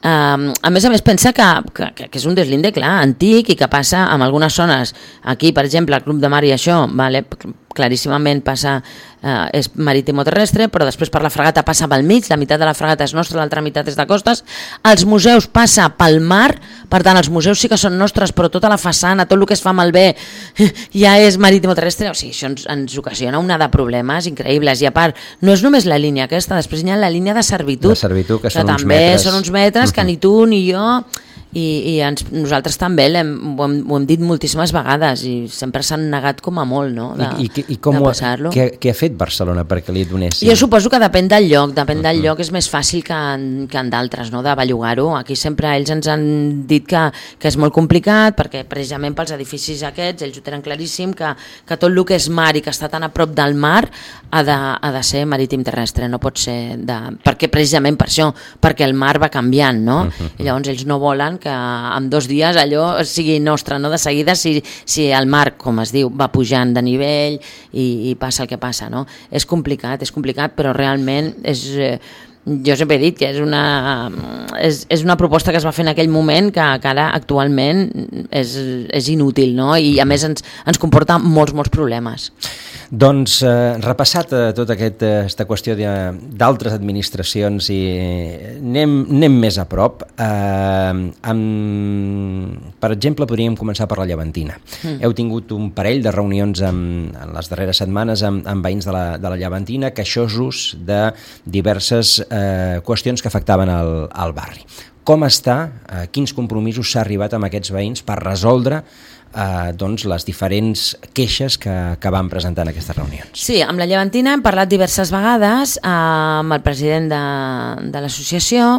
Um, a més a més, pensa que, que, que és un deslinde, clar, antic i que passa en algunes zones. Aquí, per exemple, el Club de Mar i això, vale, claríssimament passa, eh, és marítimo-terrestre, però després per la fragata passa pel mig, la meitat de la fragata és nostra, l'altra meitat és de costes. Els museus passa pel mar, per tant, els museus sí que són nostres, però tota la façana, tot el que es fa malbé ja és marítimo-terrestre. O sigui, això ens, ens ocasiona una de problemes increïbles. I a part, no és només la línia aquesta, després hi ha la línia de servitud,
de servitud que, que són uns
també
metres.
són uns metres que ni tu ni jo... I, i ens, nosaltres també hem, ho, hem, ho hem dit moltíssimes vegades i sempre s'han negat com a molt, no? De,
I, i, i com
de passar-lo.
Què, què ha fet Barcelona perquè li donessin?
Jo suposo que depèn del lloc, depèn del lloc, és més fàcil que en, que en d'altres, no? De bellugar-ho. Aquí sempre ells ens han dit que, que és molt complicat perquè precisament pels edificis aquests ells ho tenen claríssim, que, que tot el que és mar i que està tan a prop del mar ha de, ha de ser marítim terrestre, no pot ser de... perquè precisament per això, perquè el mar va canviant, no? Uh-huh. I llavors ells no volen que en dos dies allò sigui nostre, no? De seguida si, si el mar, com es diu, va pujant de nivell i, i passa el que passa, no? És complicat, és complicat, però realment és... Eh, jo sempre he dit que és una, és, és una proposta que es va fer en aquell moment que, que ara actualment és, és inútil, no? I a més ens, ens comporta molts, molts problemes.
Doncs eh, repassat eh, tota aquesta eh, qüestió d'altres administracions i anem, anem més a prop. Eh, amb, per exemple, podríem començar per la Llevantina. Mm. Heu tingut un parell de reunions en, en les darreres setmanes amb, amb veïns de la, de la Llevantina queixosos de diverses eh, qüestions que afectaven el, el barri. Com està? Eh, quins compromisos s'ha arribat amb aquests veïns per resoldre Eh, doncs les diferents queixes que, que van presentar en aquestes reunions?
Sí, amb la Llevantina hem parlat diverses vegades eh, amb el president de, de l'associació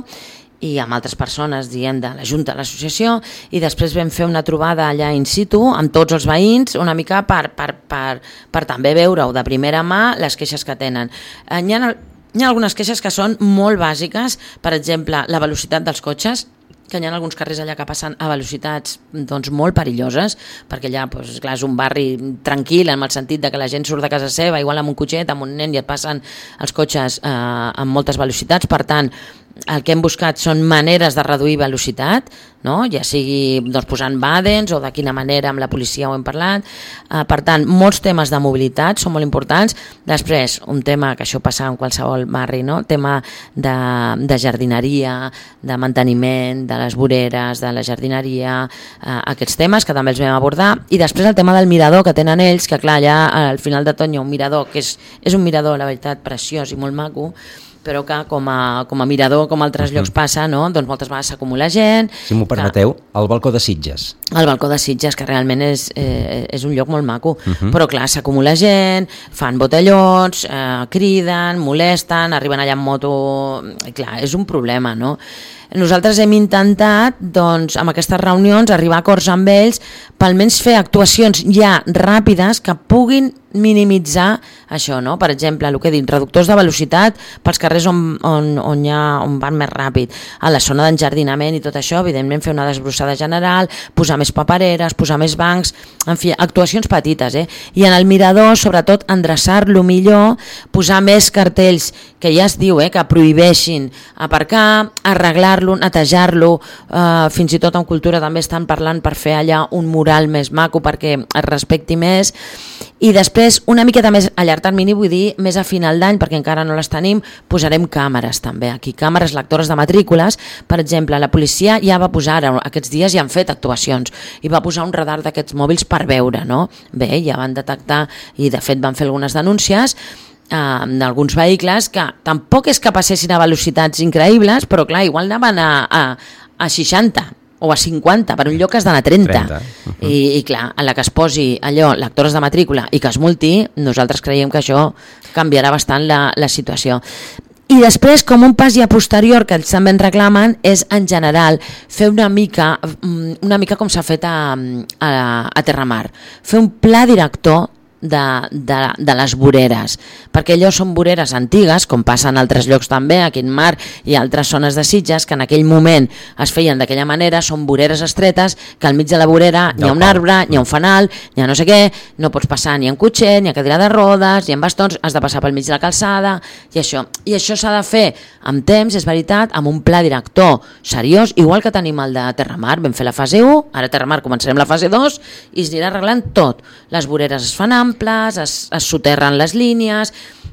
i amb altres persones, diguem, de la Junta de l'associació, i després vam fer una trobada allà in situ amb tots els veïns, una mica per, per, per, per també veure-ho de primera mà les queixes que tenen. Eh, hi ha, hi ha algunes queixes que són molt bàsiques, per exemple, la velocitat dels cotxes, que hi ha alguns carrers allà que passen a velocitats doncs, molt perilloses, perquè allà doncs, clar, és un barri tranquil en el sentit de que la gent surt de casa seva, igual amb un cotxet, amb un nen, i et passen els cotxes eh, amb moltes velocitats. Per tant, el que hem buscat són maneres de reduir velocitat, no? Ja sigui doncs, posant bàdens o de quina manera amb la policia ho hem parlat. Eh, per tant, molts temes de mobilitat són molt importants. Després, un tema que això passa en qualsevol barri, no? Tema de, de jardineria, de manteniment, de les voreres, de la jardineria, eh, aquests temes que també els vam abordar. I després el tema del mirador que tenen ells, que clar, allà al final de tot hi ha un mirador que és, és un mirador, la veritat, preciós i molt maco, però que com a, com a mirador, com a altres uh-huh. llocs passa, no? Doncs moltes vegades s'acumula gent.
Si m'ho permeteu, que... el balcó de Sitges.
El balcó de Sitges, que realment és, eh, és un lloc molt maco, uh-huh. però clar, s'acumula gent, fan botellons, eh, criden, molesten, arriben allà en moto... Clar, és un problema, no? Nosaltres hem intentat, doncs, amb aquestes reunions, arribar a acords amb ells per almenys fer actuacions ja ràpides que puguin minimitzar això, no? Per exemple, el que he dit, reductors de velocitat pels carrers on, on, on, hi ha, on van més ràpid, a la zona d'enjardinament i tot això, evidentment fer una desbrossada general, posar més papereres, posar més bancs, en fi, actuacions petites, eh? I en el mirador, sobretot, endreçar-lo millor, posar més cartells, que ja es diu, eh, que prohibeixin aparcar, arreglar-lo, netejar-lo, eh, fins i tot en cultura també estan parlant per fer allà un mural més maco perquè es respecti més, i després una miqueta més a llarg termini, vull dir més a final d'any, perquè encara no les tenim, posarem càmeres també aquí, càmeres lectores de matrícules. Per exemple, la policia ja va posar, aquests dies ja han fet actuacions, i va posar un radar d'aquests mòbils per veure, no? Bé, ja van detectar, i de fet van fer algunes denúncies eh, d'alguns vehicles que tampoc és que passessin a velocitats increïbles, però clar, igual anaven a, a, a seixanta o a cinquanta, per un lloc que has d'anar a trenta. trenta. Uh-huh. I, I clar, a la que es posi allò, lectores de matrícula, i que es multi, nosaltres creiem que això canviarà bastant la, la situació. I després, com un pas ja posterior que ells també en reclamen, és en general fer una mica, una mica com s'ha fet a, a, a Terramar, fer un pla director de, de, de les voreres, perquè allò són voreres antigues, com passa en altres llocs també, aquí en Mar i altres zones de Sitges, que en aquell moment es feien d'aquella manera, són voreres estretes, que al mig de la vorera hi ha un arbre, hi ha un fanal, hi ha no sé què, no pots passar ni en cotxet, ni en cadira de rodes, ni en bastons, has de passar pel mig de la calçada, i això, i això s'ha de fer amb temps, és veritat, amb un pla director seriós, igual que tenim el de Terramar. Vam fer la fase u, ara a Terramar començarem la fase dos, i es anirà arreglant tot. Les voreres es fan amples, es, es soterren les línies,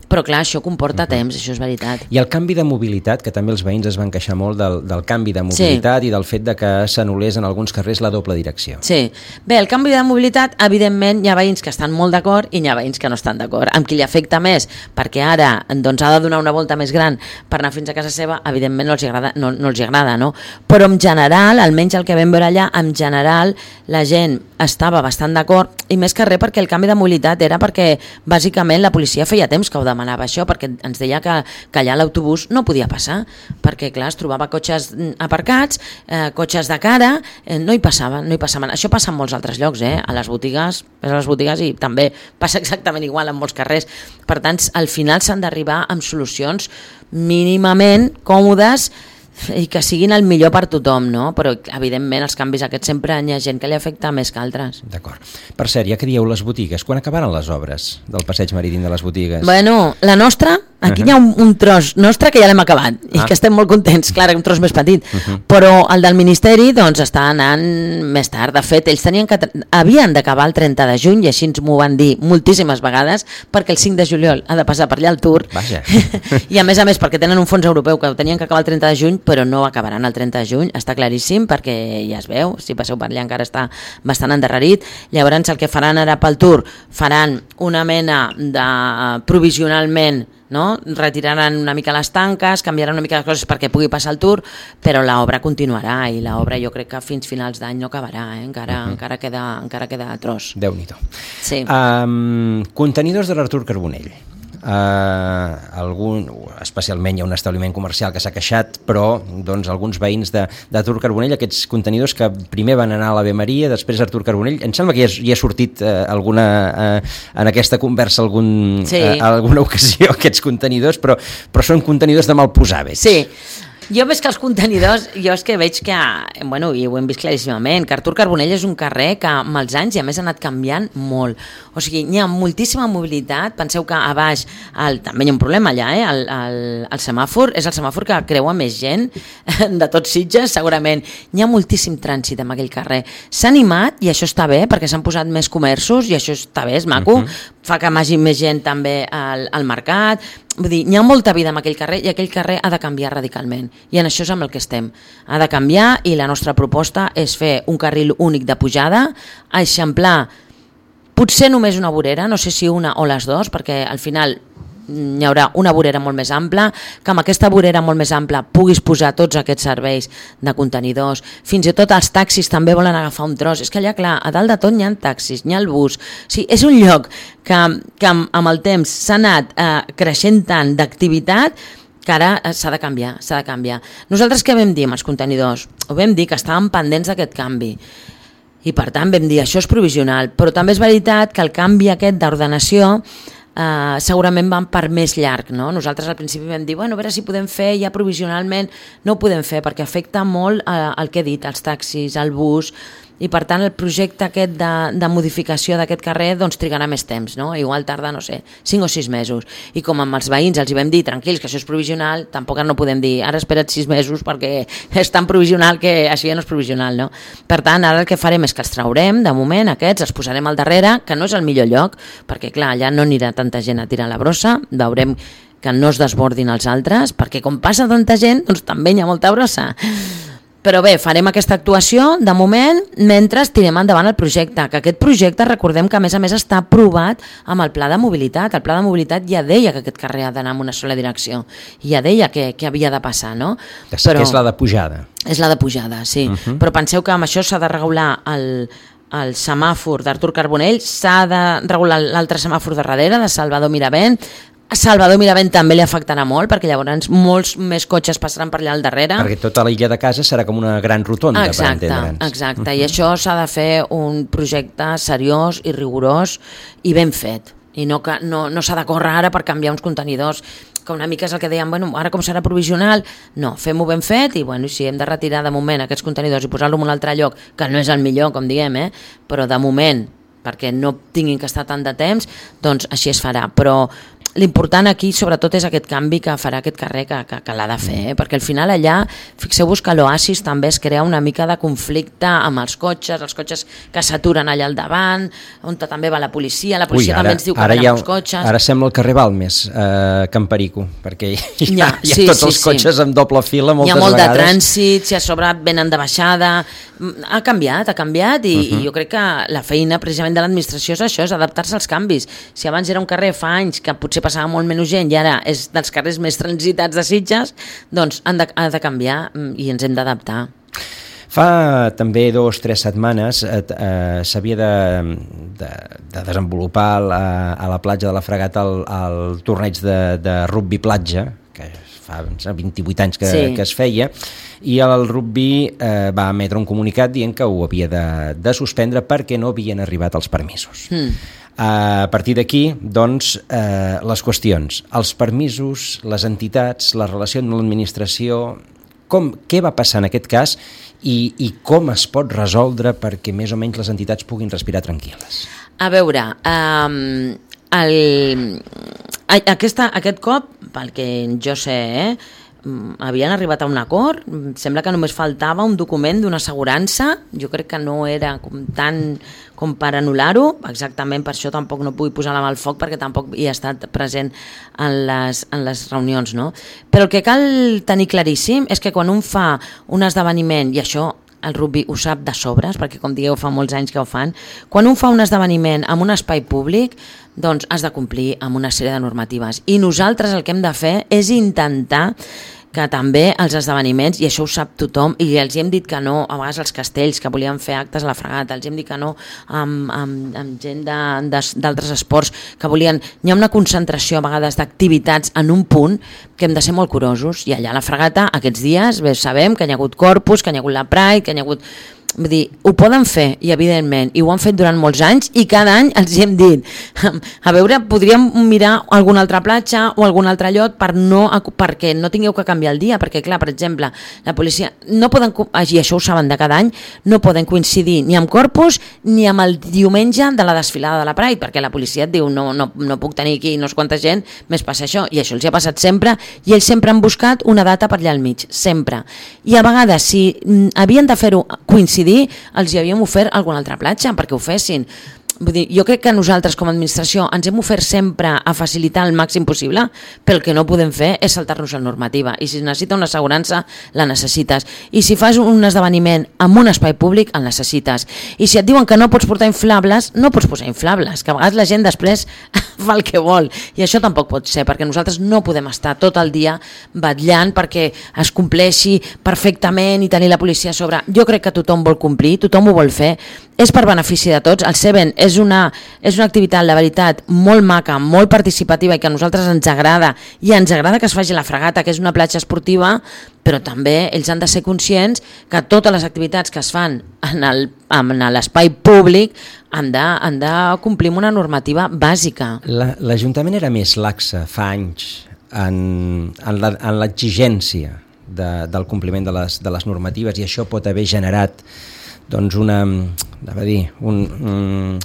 però clar, això comporta temps, això és veritat.
I el canvi de mobilitat, que també els veïns es van queixar molt del, del canvi de mobilitat, sí, i del fet de que s'anul·lés en alguns carrers la doble direcció.
Sí, bé, el canvi de mobilitat, evidentment, hi ha veïns que estan molt d'acord i hi ha veïns que no estan d'acord. Amb qui li afecta més, perquè ara doncs, ha de donar una volta més gran per anar fins a casa seva, evidentment no els agrada, no, no els agrada, no? Però en general, almenys el que vam veure allà, en general la gent estava bastant d'acord, i més que res perquè el canvi de mobilitat era perquè bàsicament la policia feia temps que ho demanava això, perquè ens deia que, que allà l'autobús no podia passar, perquè clar, es trobava cotxes aparcats, eh, cotxes de cara, eh, no hi passaven, no hi passaven. Això passa en molts altres llocs, eh? A les botigues, a les botigues i també passa exactament igual en molts carrers. Per tant, al final s'han d'arribar amb solucions mínimament còmodes i que siguin el millor per tothom, no? Però evidentment els canvis aquests sempre hi ha gent que li afecta més que altres.
D'acord. Per cert, ja que dieu les botigues, quan acabaran les obres del passeig marítim de les botigues?
Bueno, la nostra, aquí uh-huh. hi ha un, un tros nostre que ja l'hem acabat, ah. i que estem molt contents, clar, un tros més petit, uh-huh. però el del Ministeri doncs està anant més tard. De fet, ells tenien que havien d'acabar el trenta de juny, i així ens m'ho van dir moltíssimes vegades, perquè el cinc de juliol ha de passar per allà el Tour.
Vaja.
I a més a més, perquè tenen un fons europeu que tenien que acabar el trenta de juny, però no acabaran el trenta de juny, està claríssim, perquè ja es veu, si passeu per allà encara està bastant endarrerit. Llavors el que faran ara pel Tour, faran una mena de provisionalment, no? Retiraran una mica les tanques, canviaran una mica les coses perquè pugui passar el Tour, però l'obra continuarà, i l'obra jo crec que fins finals d'any no acabarà, eh? encara, uh-huh. encara, queda, encara queda tros.
Déu-n'hi-do.
Sí.
Um, contenidors de l'Artur Carbonell. Uh, algun, especialment hi ha un establiment comercial que s'ha queixat, però doncs, alguns veïns d'Artur Carbonell, aquests contenidors que primer van anar a l'Ave Maria, després a Artur Carbonell, em sembla que ja, ja ha sortit uh, alguna, uh, en aquesta conversa algun, sí. uh, alguna ocasió aquests contenidors, però, però són contenidors de mal posar, veig.
Sí. Jo veig que els contenidors, jo és que veig que, bueno, i ho hem vist claríssimament, que Artur Carbonell és un carrer que amb els anys i a més ha anat canviant molt. O sigui, hi ha moltíssima mobilitat, penseu que a baix, el, també hi ha un problema allà, eh? el, el, el semàfor, és el semàfor que creua més gent de tots Sitges, segurament. Hi ha moltíssim trànsit en aquell carrer. S'ha animat, i això està bé, perquè s'han posat més comerços, i això està bé, és maco, uh-huh. fa que hi hagi més gent també al, al mercat. Vull dir, hi ha molta vida en aquell carrer, i aquell carrer ha de canviar radicalment, i en això és amb el que estem. Ha de canviar, i la nostra proposta és fer un carril únic de pujada, eixamplar potser només una vorera, no sé si una o les dues, perquè al final hi haurà una vorera molt més ampla, que amb aquesta vorera molt més ampla puguis posar tots aquests serveis de contenidors, fins i tot els taxis també volen agafar un tros, és que allà clar, a dalt de tot hi ha taxis, hi ha el bus, o sigui, és un lloc que, que amb el temps s'ha anat eh, creixent tant d'activitat que ara s'ha de canviar, s'ha de canviar. Nosaltres què vam dir amb els contenidors? Ho vam dir que estàvem pendents d'aquest canvi i per tant vam dir això és provisional, però també és veritat que el canvi aquest d'ordenació Uh, segurament van per més llarg, no? Nosaltres al principi vam dir, bueno, a veure si podem fer ja provisionalment, no ho podem fer perquè afecta molt uh, el que he dit, els taxis, el bus, i per tant el projecte aquest de, de modificació d'aquest carrer doncs trigarà més temps, no? Igual tarda, no sé, cinc o sis mesos, i com amb els veïns els hi vam dir, tranquils, que això és provisional, tampoc no podem dir, ara espera't sis mesos perquè és tan provisional que això ja no és provisional, no? Per tant, ara el que farem és que els traurem, de moment, aquests, els posarem al darrere, que no és el millor lloc, perquè clar, allà no anirà tanta gent a tirar la brossa, veurem que no es desbordin els altres, perquè com passa tanta gent, doncs també hi ha molta brossa. Però bé, farem aquesta actuació de moment mentre tirem endavant el projecte, que aquest projecte recordem que a més a més està aprovat amb el pla de mobilitat. El pla de mobilitat ja deia que aquest carrer ha d'anar en una sola direcció, ja deia que, que havia de passar, no?
Que sí, Però, que és la de pujada.
És la de pujada, sí. Uh -huh. Però penseu que amb això s'ha de regular el, el semàfor d'Artur Carbonell, s'ha de regular l'altre semàfor de darrere, de Salvador Miravent. A Salvador Miravent també li afectarà molt, perquè llavors molts més cotxes passaran per allà al darrere.
Perquè tota l'illa de casa serà com una gran rotonda,
exacte,
per entendre'ns.
Exacte, uh-huh. I això s'ha de fer un projecte seriós i rigorós i ben fet. I no, no, no s'ha de córrer ara per canviar uns contenidors, que una mica és el que dèiem, bueno, ara com serà provisional? No, fem-ho ben fet i bueno, si hem de retirar de moment aquests contenidors i posar-lo en un altre lloc, que no és el millor, com diem, eh? Però de moment, perquè no tinguin que estar tant de temps, doncs així es farà. Però l'important aquí sobretot és aquest canvi que farà aquest carrer que, que, que l'ha de fer, eh? Perquè al final allà, fixeu-vos que l'Oasis també es crea una mica de conflicte amb els cotxes, els cotxes que s'aturen allà al davant, on també va la policia, la policia Ui, ara, també ens diu que van amb els cotxes.
Ara sembla el carrer Balmes, eh, Can Perico, perquè hi ha,
ja,
hi ha
sí,
tots
sí,
els cotxes
sí.
amb doble fila moltes
vegades. Hi ha molt
vegades.
de trànsit, si a sobre venen de baixada, ha canviat, ha canviat i, uh-huh. i jo crec que la feina precisament de l'administració és això, és adaptar-se als canvis. Si abans era un carrer fa anys que potser passava molt menys gent i ara és dels carrers més transitats de Sitges, doncs han de, ha de canviar i ens hem d'adaptar.
Fa també dos o tres setmanes eh, eh, s'havia de, de, de desenvolupar la, a la platja de la Fragata el, el torneig de, de rugbi platja, que fa vint-i-vuit anys que, sí. que es feia, i el rugbi eh, va emetre un comunicat dient que ho havia de, de suspendre perquè no havien arribat els permisos. Mm. A partir d'aquí, doncs, eh, les qüestions, els permisos, les entitats, la relació amb l'administració, com, què va passar en aquest cas i, i com es pot resoldre perquè més o menys les entitats puguin respirar tranquil·les?
A veure, um, el, aquesta, aquest cop, pel que jo sé, eh, havien arribat a un acord, sembla que només faltava un document d'una assegurança, jo crec que no era com tant com per anul·lar-ho, exactament per això tampoc no vull posar la mà al foc perquè tampoc hi he estat present en les, en les reunions, no? Però el que cal tenir claríssim és que quan un fa un esdeveniment, i això el rugbi ho sap de sobres, perquè com digueu fa molts anys que ho fan, quan un fa un esdeveniment en un espai públic, doncs has de complir amb una sèrie de normatives. I nosaltres el que hem de fer és intentar que també els esdeveniments, i això ho sap tothom, i els hem dit que no, a vegades els castells que volien fer actes a la Fragata, els hem dit que no amb, amb, amb gent d'altres esports que volien, hi ha una concentració a vegades d'activitats en un punt que hem de ser molt curosos, i allà a la Fragata aquests dies bé, sabem que hi ha hagut Corpus, que hi ha hagut la Pride, que hi ha hagut... Vull dir, ho poden fer, i evidentment, i ho han fet durant molts anys, i cada any els hem dit, a veure, podríem mirar alguna altra platja o algun altre lloc per no, perquè no tingueu que canviar el dia, perquè clar, per exemple, la policia, no poden, i això ho saben de cada any, no poden coincidir ni amb Corpus ni amb el diumenge de la desfilada de la Pride, perquè la policia et diu, no, no, no puc tenir aquí no sé quanta gent, més passa això, i això els ha passat sempre, i ells sempre han buscat una data per allà al mig, sempre. I a vegades, si havien de fer-ho coincidir, els hi havíem ofert alguna altra platja perquè ho fessin. vull dir, jo crec que nosaltres com a administració ens hem ofert sempre a facilitar el màxim possible, però el que no podem fer és saltar-nos la normativa, i si necessita una assegurança, la necessites, i si fas un esdeveniment en un espai públic, el necessites, i si et diuen que no pots portar inflables, no pots posar inflables, que a vegades la gent després fa el que vol, i això tampoc pot ser, perquè nosaltres no podem estar tot el dia vetllant perquè es compleixi perfectament i tenir la policia a sobre. Jo crec que tothom vol complir, tothom ho vol fer, és per benefici de tots. El Seven és una, és una activitat, la veritat, molt maca, molt participativa i que a nosaltres ens agrada, i ens agrada que es faci la fregata, que és una platja esportiva, però també ells han de ser conscients que totes les activitats que es fan en el, en l'espai públic han de, han de complir amb una normativa bàsica.
La, L'Ajuntament era més laxa fa anys en, en l'exigència de, del compliment de les, de les normatives, i això pot haver generat doncs una, a dir, un, un,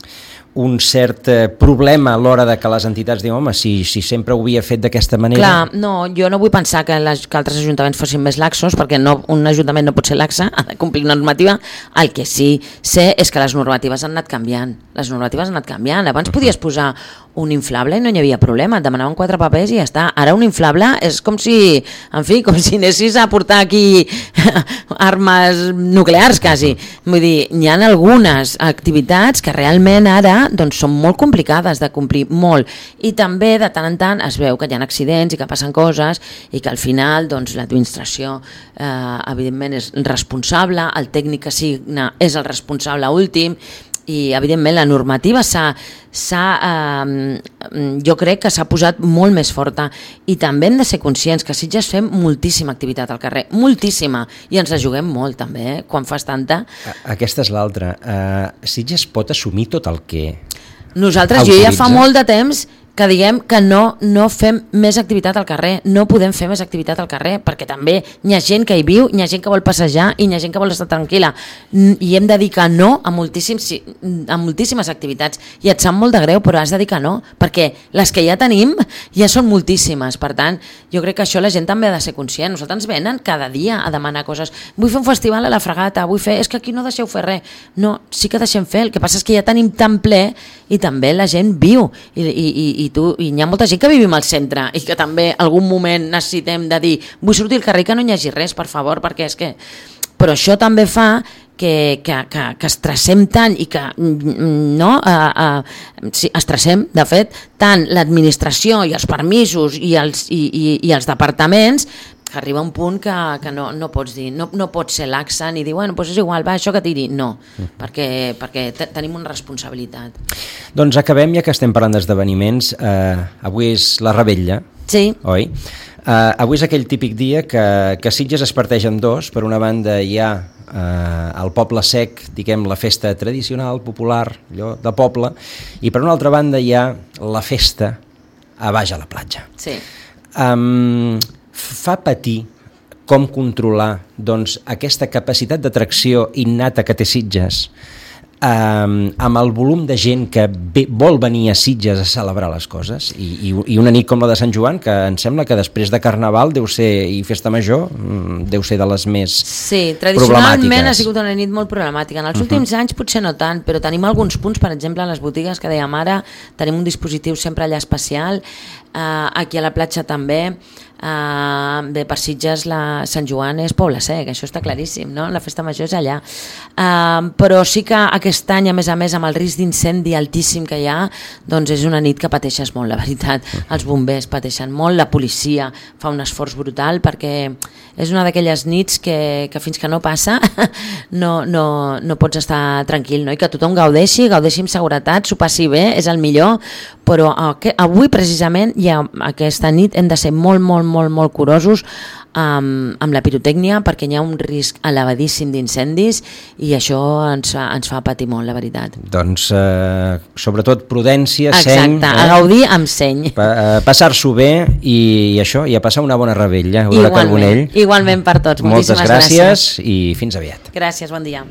un cert problema a l'hora de que les entitats diuen, home, si, si sempre ho havia fet d'aquesta manera...
Clar, no, jo no vull pensar que, les, que altres ajuntaments fossin més laxos, perquè no, un ajuntament no pot ser laxa, ha de complir una normativa. El que sí sé és que les normatives han anat canviant, les normatives han anat canviant. Abans podies posar un inflable i no hi havia problema, et demanaven quatre papers i ja està. Ara un inflable és com si, en fi, com si anessis a portar aquí armes nuclears quasi. Vull dir, hi ha algunes activitats que realment ara doncs, són molt complicades de complir, molt. I també de tant en tant es veu que hi ha accidents i que passen coses i que al final doncs, l'administració eh, evidentment és responsable, el tècnic que signa és el responsable últim, i evidentment la normativa s'ha, s'ha, eh, jo crec que s'ha posat molt més forta, i també hem de ser conscients que a Sitges fem moltíssima activitat al carrer, moltíssima, i ens la juguem molt també, eh? Quan fas tanta.
Aquesta és l'altra. Uh, Sitges pot assumir tot el que
nosaltres,
autoritza?
Jo ja fa molt de temps que diguem que no, no fem més activitat al carrer, no podem fer més activitat al carrer, perquè també hi ha gent que hi viu, hi ha gent que vol passejar i hi ha gent que vol estar tranquil·la, i hem de dir que no a, moltíssims, a moltíssimes activitats, i et sap molt de greu, però has de dir que no, perquè les que ja tenim ja són moltíssimes. Per tant, jo crec que això la gent també ha de ser conscient. Nosaltres ens venen cada dia a demanar coses, vull fer un festival a la Fregata, vull fer, és que aquí no deixeu fer res. No, sí que deixem fer, el que passa és que ja tenim tan ple i també la gent viu, i, i, i i tu, i hi ha molta gent que vivim al centre i que també algun moment necessitem de dir vull sortir al carrer que no hi hagi res, per favor, perquè és que... Però això també fa que, que, que, que estressem tant i que no, uh, uh, sí, estressem, de fet, tant l'administració i els permisos i els, i, i, i els departaments, que arriba un punt que, que no, no pots dir, no, no pots ser laxa ni dir, bueno, doncs és igual, va, això que tiri. No, mm. perquè, perquè te, tenim una responsabilitat.
Doncs acabem, ja que estem parlant d'esdeveniments. Eh, avui és la Revetlla,
sí.
Oi? Eh, avui és aquell típic dia que, que Sitges es parteix en dos. Per una banda hi ha eh, el Poble Sec, diguem, la festa tradicional, popular, allò de poble, i per una altra banda hi ha la festa a baix a la platja.
Sí.
Um, fa patir com controlar doncs, aquesta capacitat d'atracció innata que té Sitges, um, amb el volum de gent que ve, vol venir a Sitges a celebrar les coses, i, i, i una nit com la de Sant Joan, que em sembla que després de Carnaval deu ser, i Festa Major deu ser de les més
sí, tradicionalment ha sigut una nit molt problemàtica. En els uh-huh. últims anys potser no tant, però tenim alguns punts, per exemple a les botigues que dèiem ara, tenim un dispositiu sempre allà especial, uh, aquí a la platja també. Uh, bé, per Sitges la Sant Joan és Poble Sec, això està claríssim, no? La festa major és allà, uh, però sí que aquest any, a més a més, amb el risc d'incendi altíssim que hi ha, doncs és una nit que pateixes molt, la veritat. Els bombers pateixen molt, la policia fa un esforç brutal, perquè és una d'aquelles nits que, que fins que no passa no, no, no pots estar tranquil, no? I que tothom gaudeixi, gaudeixi amb seguretat, s'ho passi bé, és el millor, però avui precisament, ja aquesta nit, hem de ser molt, molt, molt, molt curosos amb, amb la pirotècnia, perquè hi ha un risc elevadíssim d'incendis i això ens, ens fa patir molt, la veritat.
Doncs eh, sobretot prudència,
exacte,
seny.
Exacte, eh? A gaudir amb seny.
Pa, eh, passar-s'ho bé i, i això, i a passar una bona revetlla.
Igualment, igualment per tots. Moltíssimes
Moltes gràcies,
gràcies
i fins aviat.
Gràcies, bon dia.